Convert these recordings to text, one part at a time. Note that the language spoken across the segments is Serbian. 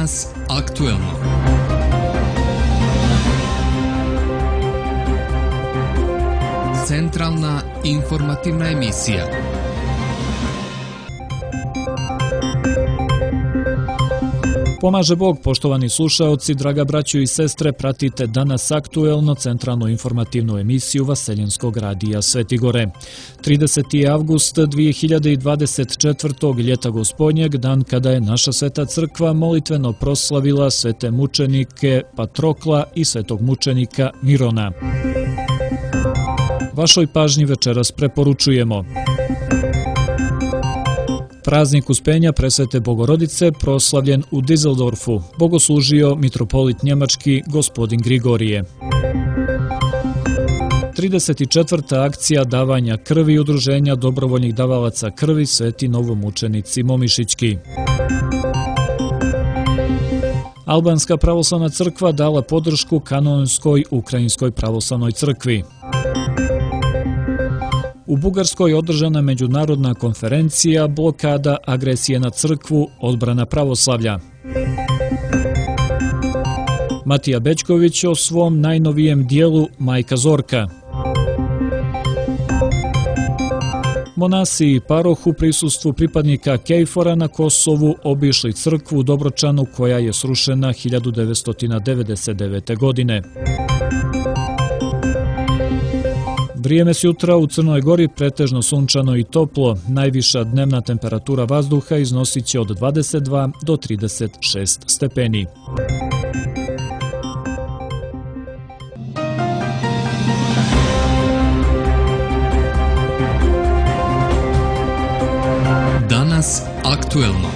Danas aktuelno. Centralna informativna emisija. Pomaže Bog, poštovani slušaoci, draga braćo i sestre, pratite Danas aktuelno centralnu informativnu emisiju Vaseljenskog radija Svetigore. 30. avgust 2024. ljeta gospodnjeg, dan kada je naša sveta crkva molitveno proslavila svete mučenike Patrokla i svetog mučenika Mirona. Vašoj pažnji večeras preporučujemo: praznik Uspenja Presvete Bogorodice proslavljen u Düsseldorfu, bogoslužio mitropolit njemački gospodin Grigorije. 34. akcija davanja krvi udruženja dobrovoljnih davalaca krvi Sveti novomučenici Momišićki. Albanska pravoslavna crkva dala podršku kanonskoj Ukrajinskoj pravoslavnoj crkvi. U Bugarskoj održana međunarodna konferencija Blokada agresije na crkvu, odbrana pravoslavlja. Matija Bećković o svom najnovijem dijelu Majka Zorka. Monasi i paroh u prisustvu pripadnika KFOR-a na Kosovu obišli crkvu u Dobročanu koja je srušena 1999. godine. Vrijeme s jutra u Crnoj Gori pretežno sunčano i toplo, najviša dnevna temperatura vazduha iznosit će od 22 do 36 stepeni. Danas aktuelno.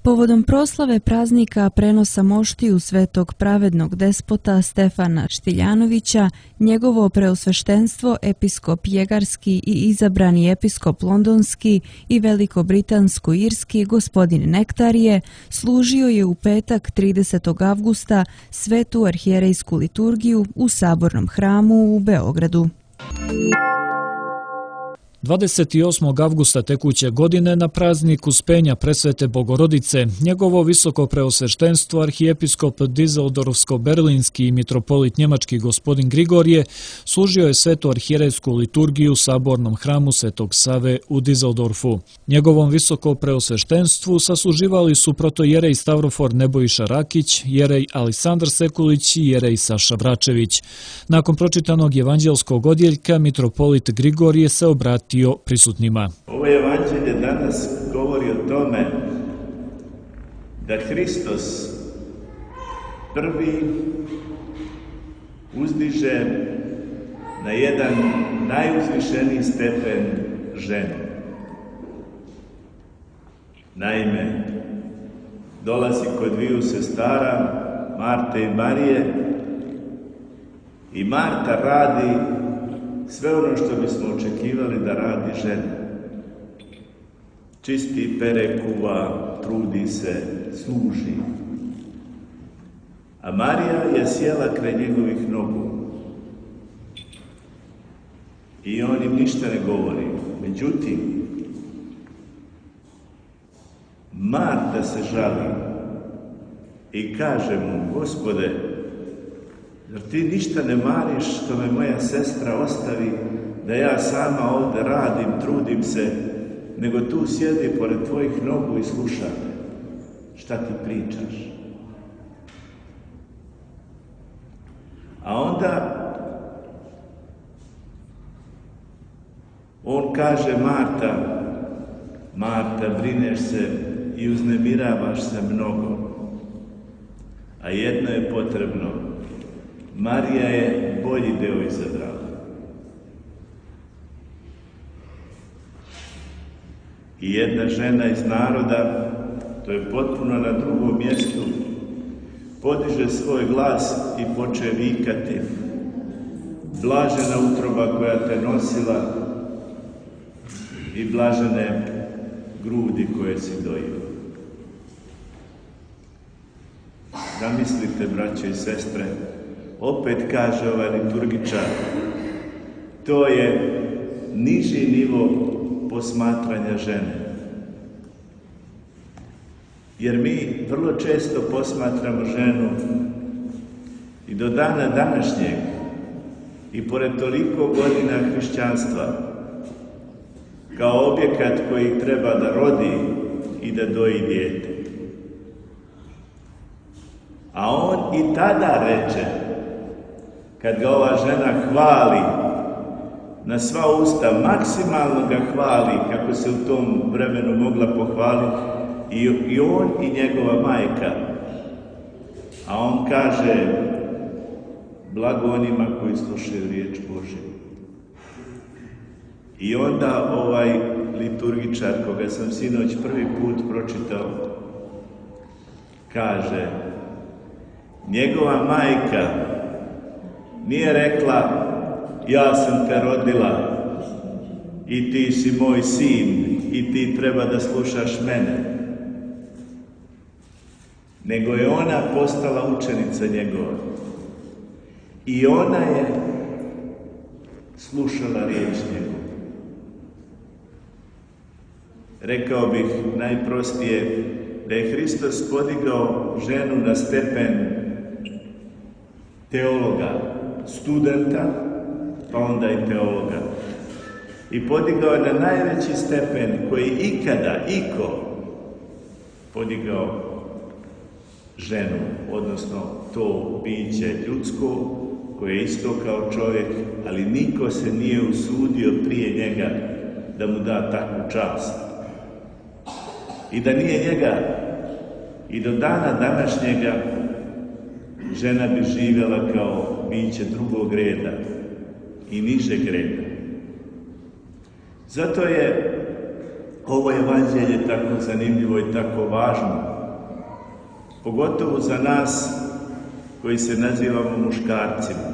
Povodom proslave praznika prenosa moštiju svetog pravednog despota Stefana Štiljanovića, njegovo preosveštenstvo episkop Jegarski i izabrani episkop Londonski i velikobritansko-irski gospodin Nektarije služio je u petak 30. avgusta svetu arhijerejsku liturgiju u Sabornom hramu u Beogradu. 28. avgusta tekuće godine na praznik Uspenja Presvete Bogorodice, njegovo visoko preosveštenstvo arhijepiskop Düsseldorfsko-berlinski i mitropolit njemački gospodin Grigorije služio je svetu arhijerejsku liturgiju u Sabornom hramu Svetog Save u Düsseldorfu. Njegovom visoko preosveštenstvu sasluživali su protojerej Stavrofor Nebojša Rakić, jerej Aleksandar Sekulić i jerej Saša Vračević. Nakon pročitanog evanđelskog odjeljka, mitropolit Grigorije se obratio prisutnima. Ovo evanđelje danas govori o tome da Hristos prvi uzdiže na jedan najuzvišeniji stepen ženu. Naime, dolazi kod dviju sestara, Marte i Marije, i Marta radi sve ono što bismo očekivali da radi žena. Čisti, pere, kuva, trudi se, služi. A Marija je sjela kraj njegovih nogu. I on im ništa ne govori. Međutim, Marta se žali i kaže mu: Gospode, zar ti ništa ne mariš što me moja sestra ostavi, da ja sama ovdje radim, trudim se, nego tu sjedi pored tvojih nogu i sluša me. Šta ti pričaš? A onda on kaže: Marta, brineš se i uznemiravaš se mnogo, a jedno je potrebno. Marija je bolji deo izabrala. I jedna žena iz naroda, to je potpuno na drugom mjestu, podiže svoj glas i poče vikati: blažena utroba koja te nosila i blažene grudi koje si dojio. Zamislite, braće i sestre, opet kaže ovaj liturgičar, to je niži nivo posmatranja žene. jer mi vrlo često posmatramo ženu i do dana današnjeg i pored toliko godina hrišćanstva kao objekat koji treba da rodi i da doji dijete. A on i tada reče, kad ga ova žena hvali na sva usta, maksimalno ga hvali kako se u tom vremenu mogla pohvaliti i on i njegova majka. A on kaže, blago onima koji slušaju riječ Božju. I onda ovaj liturgičar, koga sam sinoć prvi put pročitao, kaže, njegova majka nije rekla, ja sam te rodila i ti si moj sin i ti treba da slušaš mene. Nego je ona postala učenica njegova. I ona je slušala riječ njegova. Rekao bih najprostije da je Hristos podigao ženu na stepen teologa, studenta, pa onda i teologa. I podigao na najveći stepen koji ikada, iko podigao ženu, odnosno to biće ljudsko, koje je isto kao čovjek, ali niko se nije usudio prije njega da mu da takvu čast. I da nije njega, i do dana današnjega, žena bi živjela kao biće drugog reda i nižeg reda. Zato je ovo evanđelje tako zanimljivo i tako važno, pogotovo za nas koji se nazivamo muškarcima.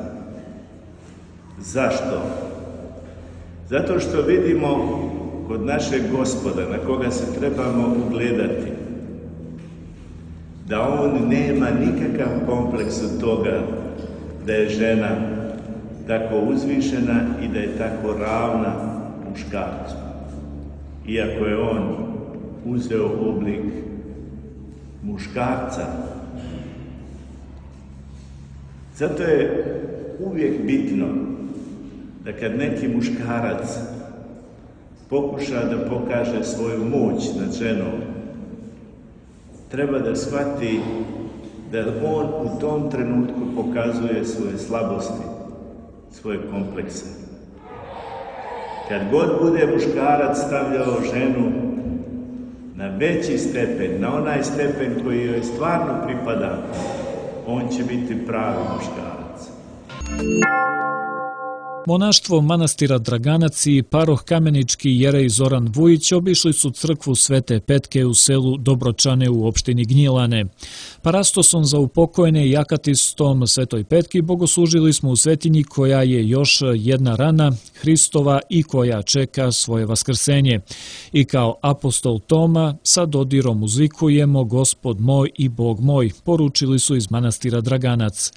Zašto? Zato što vidimo kod našeg Gospoda, na koga se trebamo ugledati, da on nema nikakav kompleks od toga da je žena tako uzvišena i da je tako ravna muškarcu. Iako je on uzeo oblik muškarca. Zato je uvijek bitno da kad neki muškarac pokuša da pokaže svoju moć nad ženom, treba da shvati da on u tom trenutku pokazuje svoje slabosti, svoje komplekse. Kad god bude muškarac stavljao ženu na veći stepen, na onaj stepen koji joj stvarno pripada, on će biti pravi muškarac. Monaštvo manastira Draganac i paroh kamenički jerej Zoran Vujić obišli su crkvu Svete Petke u selu Dobročane u opštini Gnjilane. Parastosom za upokojene i akatistom Svetoj Petki bogoslužili smo u svetinji koja je još jedna rana Hristova i koja čeka svoje vaskrsenje. I kao apostol Toma sa dodirom uzvikujemo Gospod moj i Bog moj, poručili su iz manastira Draganac.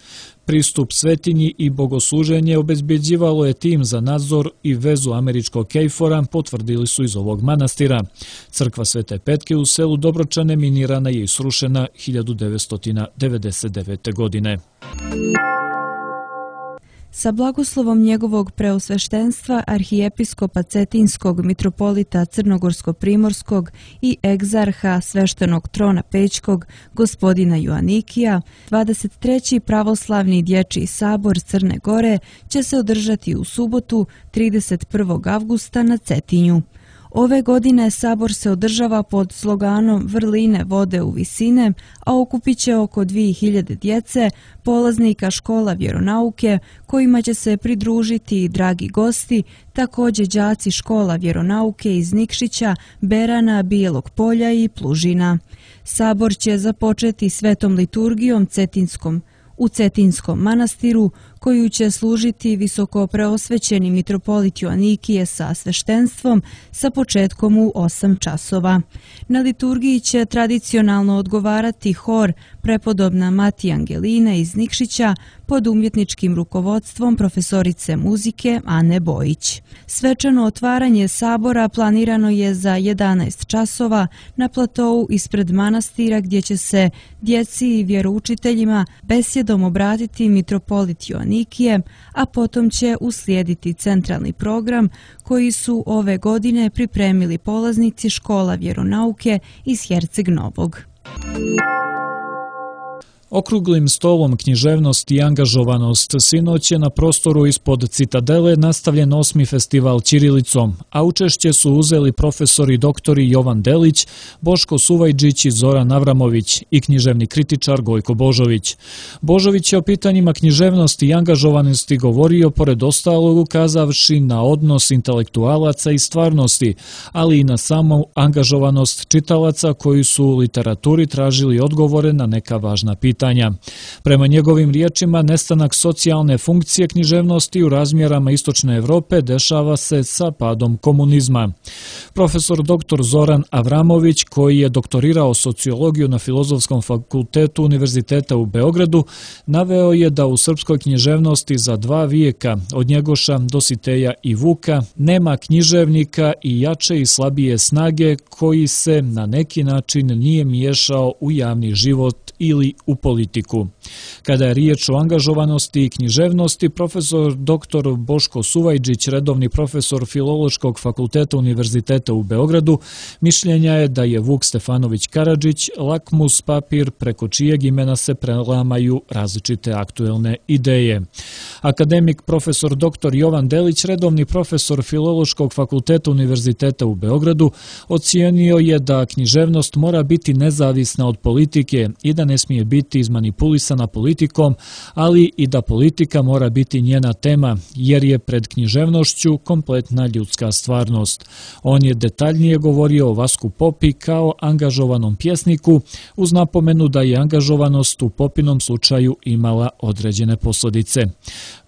Pristup svetinji i bogosluženje obezbjeđivalo je tim za nadzor i vezu američkog KFOR-a, potvrdili su iz ovog manastira. Crkva Svete Petke u selu Dobročane minirana je i srušena 1999. godine. Sa blagoslovom njegovog preosveštenstva arhijepiskopa Cetinskog, mitropolita Crnogorsko-primorskog i egzarha sveštenog trona Pećkog, gospodina Joanikija, 23. pravoslavni dječji sabor Crne Gore će se održati u subotu 31. avgusta na Cetinju. Ove godine sabor se održava pod sloganom Vrline vode u visine, a okupit će oko 2000 djece, polaznika škola vjeronauke, kojima će se pridružiti i dragi gosti, također đaci škola vjeronauke iz Nikšića, Berana, Bijelog Polja i Plužina. Sabor će započeti svetom liturgijom u Cetinskom manastiru, koju će služiti visoko preosvećeni mitropolit Joanikije sa sveštenstvom sa početkom u 8 časova. Na liturgiji će tradicionalno odgovarati hor prepodobna Mati Angelina iz Nikšića pod umjetničkim rukovodstvom profesorice muzike Ane Bojić. Svečano otvaranje sabora planirano je za 11 časova na platou ispred manastira gdje će se djeci i vjeroučiteljima besjedom obratiti mitropolit Joanikije, a potom će uslijediti centralni program koji su ove godine pripremili polaznici škola vjeronauke iz Herceg Novog. Okruglim stolom književnost i angažovanost sinoć je na prostoru ispod Citadele nastavljen 8. festival ćirilicom, a učešće su uzeli profesori doktori Jovan Delić, Boško Suvajđić i Zoran Avramović i književni kritičar Gojko Božović. Božović je o pitanjima književnosti i angažovanosti govorio pored ostalog ukazavši na odnos intelektualaca i stvarnosti, ali i na samu angažovanost čitalaca koji su u literaturi tražili odgovore na neka važna pitanja. Prema njegovim riječima, nestanak socijalne funkcije književnosti u razmjerama Istočne Evrope dešava se sa padom komunizma. Profesor dr. Zoran Avramović, koji je doktorirao sociologiju na Filozofskom fakultetu Univerziteta u Beogradu, naveo je da u srpskoj književnosti za 2 vijeka, od Njegoša, Dositeja i Vuka, nema književnika i jače i slabije snage koji se na neki način nije miješao u javni život ili u politiku. Kada je riječ o angažovanosti i književnosti, profesor dr. Boško Suvajđić, redovni profesor Filološkog fakulteta Univerziteta u Beogradu, mišljenja je da je Vuk Stefanović Karadžić lakmus papir preko čijeg imena se prelamaju različite aktuelne ideje. Akademik profesor dr. Jovan Delić, redovni profesor Filološkog fakulteta Univerziteta u Beogradu, ocijenio je da književnost mora biti nezavisna od politike i da ne smije biti izmanipulisana politikom, ali i da politika mora biti njena tema, jer je pred književnošću kompletna ljudska stvarnost. On je detaljnije govorio o Vasku Popi kao angažovanom pjesniku, uz napomenu da je angažovanost u Popinom slučaju imala određene posljedice.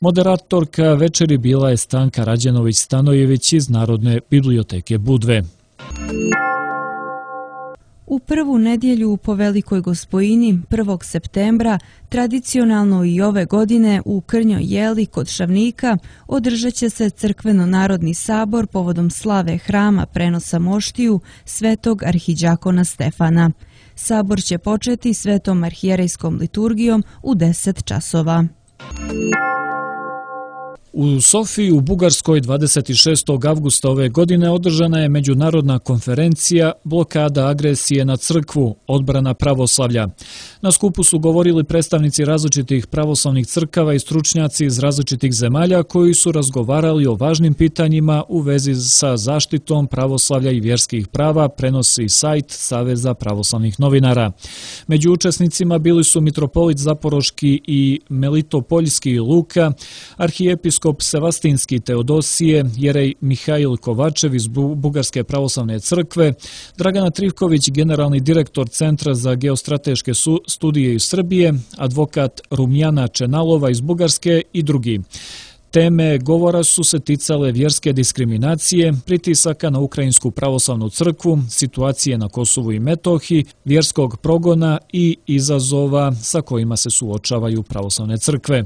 Moderatorka večeri bila je Stanka Rađenović-Stanojević iz Narodne biblioteke Budve. U prvu nedjelju po Velikoj Gospojini 1. septembra tradicionalno i ove godine u Krnjoj Jeli kod Šavnika održat će se crkveno-narodni sabor povodom slave hrama prenosa moštiju svetog arhidžakona Stefana. Sabor će početi svetom arhijerejskom liturgijom u 10 časova. U Sofiji u Bugarskoj 26. avgusta ove godine održana je međunarodna konferencija Blokada agresije na crkvu, odbrana pravoslavlja. Na skupu su govorili predstavnici različitih pravoslavnih crkava i stručnjaci iz različitih zemalja koji su razgovarali o važnim pitanjima u vezi sa zaštitom pravoslavlja i vjerskih prava, prenosi sajt Saveza pravoslavnih novinara. Među učesnicima bili su mitropolit Zaporoški i Melitopoljski Luka, arhijepiskop Sevastinski Teodosije, jerej Mihajl Kovačev iz Bugarske pravoslavne crkve, Dragana Trivković, generalni direktor Centra za geostrateške studije iz Srbije, advokat Rumjana Čenalova iz Bugarske i drugi. Teme govora su se ticale vjerske diskriminacije, pritisaka na Ukrajinsku pravoslavnu crkvu, situacije na Kosovu i Metohiji, vjerskog progona i izazova sa kojima se suočavaju pravoslavne crkve.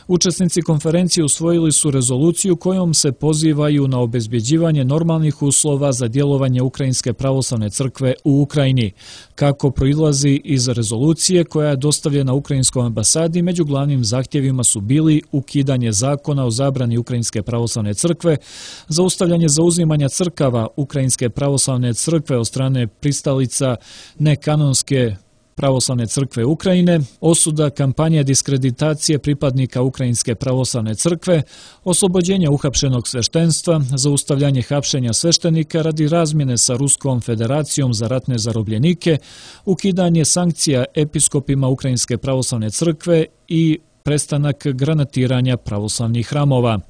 Učesnici konferencije usvojili su rezoluciju kojom se pozivaju na obezbjeđivanje normalnih uslova za djelovanje Ukrajinske pravoslavne crkve u Ukrajini. Kako proizlazi iz rezolucije koja je dostavljena Ukrajinskoj ambasadi, među glavnim zahtjevima su bili ukidanje zakona o zabrani Ukrajinske pravoslavne crkve, zaustavljanje zauzimanja crkava Ukrajinske pravoslavne crkve od strane pristalica nekanonske pravoslavne crkve Ukrajine, osuda kampanje diskreditacije pripadnika Ukrajinske pravoslavne crkve, oslobođenje uhapšenog sveštenstva, zaustavljanje hapšenja sveštenika radi razmjene sa Ruskom federacijom za ratne zarobljenike, ukidanje sankcija episkopima Ukrajinske pravoslavne crkve i prestanak granatiranja pravoslavnih hramova.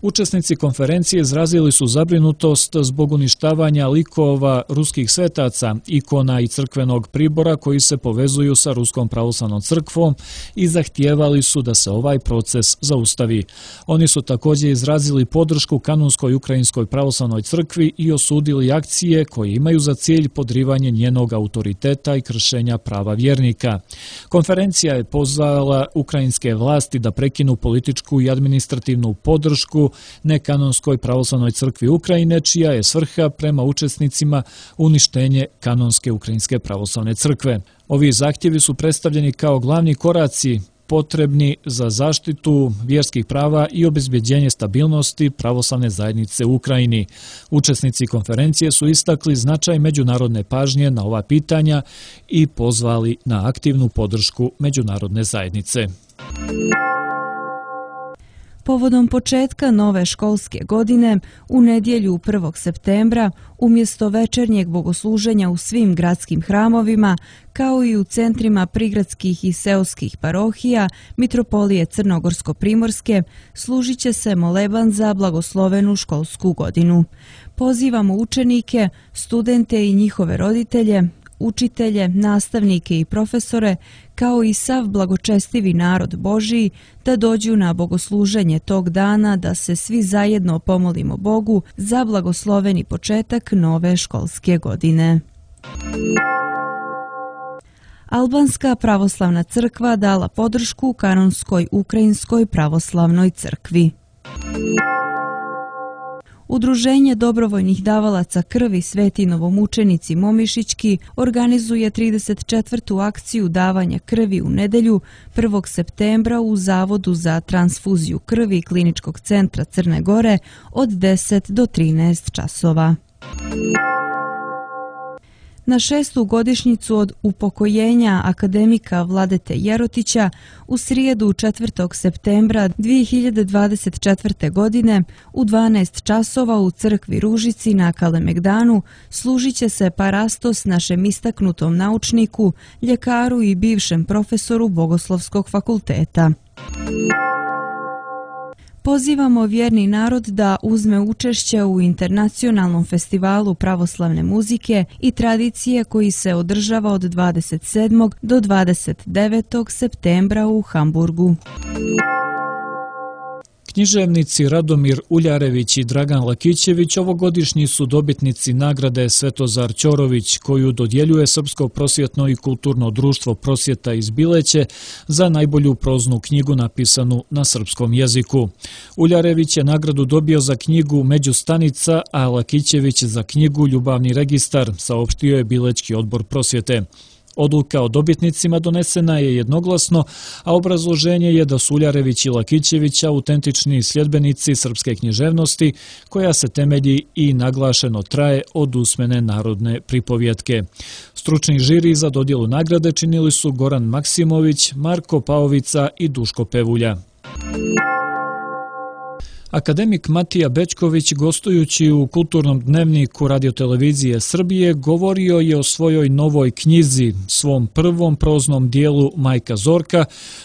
Učesnici konferencije izrazili su zabrinutost zbog uništavanja likova ruskih svetaca, ikona i crkvenog pribora koji se povezuju sa Ruskom pravoslavnom crkvom i zahtijevali su da se ovaj proces zaustavi. Oni su također izrazili podršku kanonskoj ukrajinskoj pravoslavnoj crkvi i osudili akcije koje imaju za cilj podrivanje njenog autoriteta i kršenja prava vjernika. Konferencija je pozvala ukrajinske vlasti da prekinu političku i administrativnu podršku nekanonskoj pravoslavnoj crkvi Ukrajine, čija je svrha prema učesnicima uništenje kanonske ukrajinske pravoslavne crkve. Ovi zahtjevi su predstavljeni kao glavni koraci potrebni za zaštitu vjerskih prava i obezbeđenje stabilnosti pravoslavne zajednice u Ukrajini. Učesnici konferencije su istakli značaj međunarodne pažnje na ova pitanja i pozvali na aktivnu podršku međunarodne zajednice. Povodom početka nove školske godine, u nedjelju 1. septembra, umjesto večernjeg bogosluženja u svim gradskim hramovima, kao i u centrima prigradskih i seoskih parohija Mitropolije Crnogorsko-Primorske, služit će se moleban za blagoslovenu školsku godinu. Pozivamo učenike, studente i njihove roditelje, učitelje, nastavnike i profesore, kao i sav blagočestivi narod Božiji, da dođu na bogosluženje tog dana, da se svi zajedno pomolimo Bogu za blagosloveni početak nove školske godine. Albanska pravoslavna crkva dala podršku kanonskoj ukrajinskoj pravoslavnoj crkvi. Udruženje dobrovoljnih davalaca krvi Sveti novomučenici Momišićki organizuje 34. akciju davanja krvi u nedjelju 1. septembra u Zavodu za transfuziju krvi Kliničkog centra Crne Gore od 10 do 13 časova. Na 6. godišnjicu od upokojenja akademika Vladete Jerotića u srijedu 4. septembra 2024. godine u 12 časova u crkvi Ružici na Kalemegdanu služit će se parastos našem istaknutom naučniku, ljekaru i bivšem profesoru Bogoslovskog fakulteta. Pozivamo vjerni narod da uzme učešće u internacionalnom festivalu pravoslavne muzike i tradicije koji se održava od 27. do 29. septembra u Hamburgu. Književnici Radomir Uljarević i Dragan Lakićević ovogodišnji su dobitnici nagrade Svetozar Ćorović, koju dodjeljuje Srpsko prosvjetno i kulturno društvo Prosvjeta iz Bileće za najbolju proznu knjigu napisanu na srpskom jeziku. Uljarević je nagradu dobio za knjigu Međustanica, a Lakićević za knjigu Ljubavni registar, saopštio je Bilečki odbor prosvjete. Odluka o dobitnicima donesena je jednoglasno, a obrazloženje je da su Uljarević i Lakićević autentični sljedbenici srpske književnosti, koja se temelji i naglašeno traje od usmene narodne pripovjetke. Stručni žiri za dodjelu nagrade činili su Goran Maksimović, Marko Paovica i Duško Pevulja. Akademik Matija Bećković, gostujući u Kulturnom dnevniku Radiotelevizije Srbije, govorio je o svojoj novoj knjizi, svom prvom proznom dijelu Majka Zorka,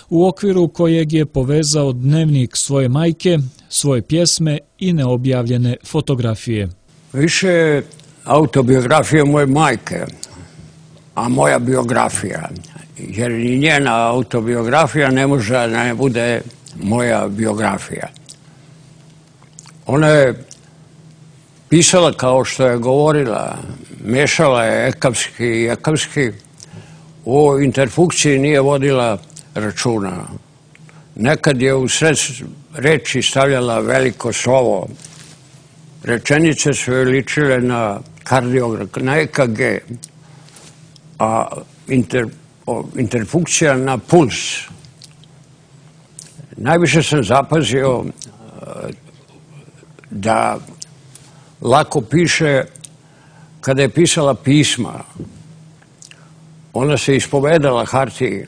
u okviru kojeg je povezao dnevnik svoje majke, svoje pjesme i neobjavljene fotografije. Više autobiografije moje majke, a moja biografija, jer ni njena autobiografija ne može da ne bude moja biografija. Ona je pisala kao što je govorila, mešala je ekavski i jakavski, o interfunkciji nije vodila računa. Nekad je u sred reči stavljala veliko slovo. Rečenice su joj ličile na kardiograf, na EKG, a interfunkcija na puls. Najviše sam zapazio da lako piše kada je pisala pisma. Ona se ispovedala hartiji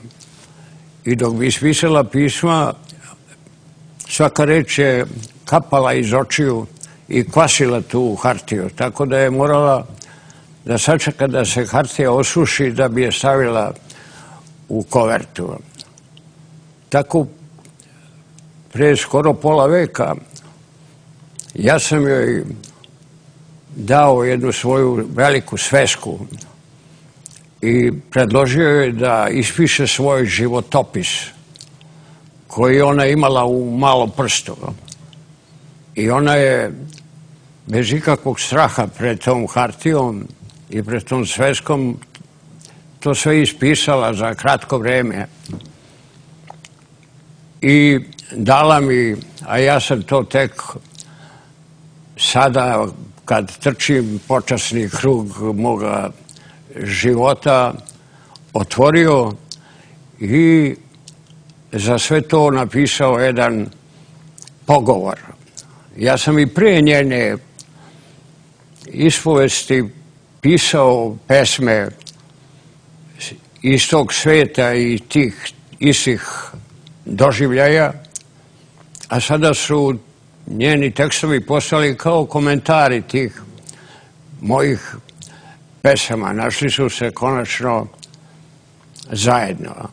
i dok bi ispisala pisma, svaka reč je kapala iz očiju i kvasila tu hartiju. Tako da je morala da sačeka da se hartija osuši da bi je stavila u kovertu. Tako pre skoro pola veka, ja sam joj dao jednu svoju veliku svesku i predložio joj da ispiše svoj životopis koji ona imala u malom prstu. I ona je bez ikakvog straha pred tom hartijom i pred tom sveskom to sve ispisala za kratko vreme. I dala mi, a ja sam to tek sada kad trčim počasni krug moga života otvorio i za sve to napisao jedan pogovor. Ja sam i pre njene ispovesti pisao pesme iz tog sveta i tih istih doživljaja, a sada su njeni tekstovi postali kao komentari tih mojih pesama. Našli su se konačno zajedno.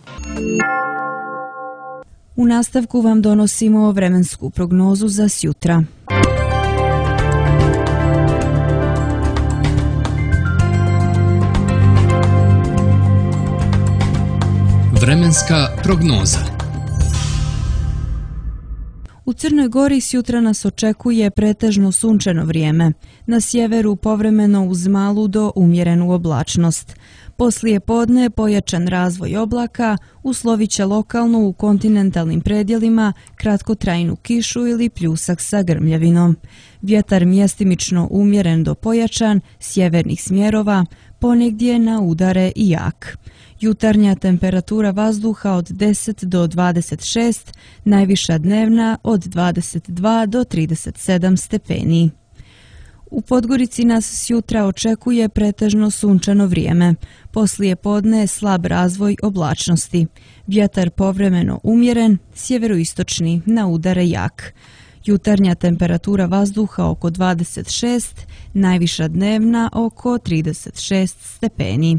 U nastavku vam donosimo vremensku prognozu za sjutra. Vremenska prognoza. U Crnoj Gori sjutra nas očekuje pretežno sunčano vrijeme. Na sjeveru povremeno uz malu do umjerenu oblačnost. Poslije podne pojačan razvoj oblaka uslovit će lokalno u kontinentalnim predjelima kratkotrajnu kišu ili pljusak sa grmljavinom. Vjetar mjestimično umjeren do pojačan, sjevernih smjerova, ponegdje na udare i jak. Jutarnja temperatura vazduha od 10 do 26, najviša dnevna od 22 do 37 stepeni. U Podgorici nas sjutra očekuje pretežno sunčano vrijeme. Poslije podne slab razvoj oblačnosti. Vjetar povremeno umjeren, sjeveroistočni na udare jak. Jutarnja temperatura vazduha oko 26, najviša dnevna oko 36 stepeni.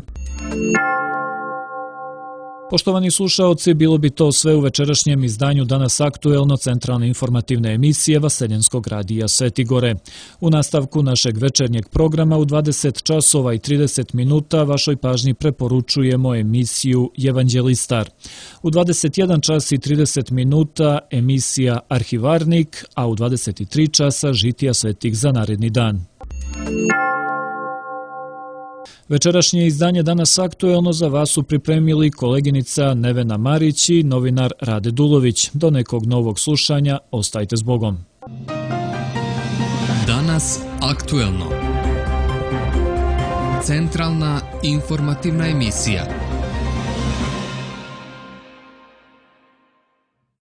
Poštovani slušaoci, bilo bi to sve u večerašnjem izdanju Danas aktuelno centralne informativne emisije Vaseljenskog radija Sveti Gore. U nastavku našeg večernjeg programa u 20 časova i 30 minuta vašoj pažnji preporučujemo emisiju Evanđelistar. U 21 čas i 30 minuta emisija Arhivarnik, a u 23 časa Žitija svetih za naredni dan. Večerašnje izdanje Danas aktuelno za vas su pripremili koleginica Nevena Marić i novinar Rade Dulović. Do nekog novog slušanja, ostajte s Bogom. Danas aktuelno. Centralna informativna emisija.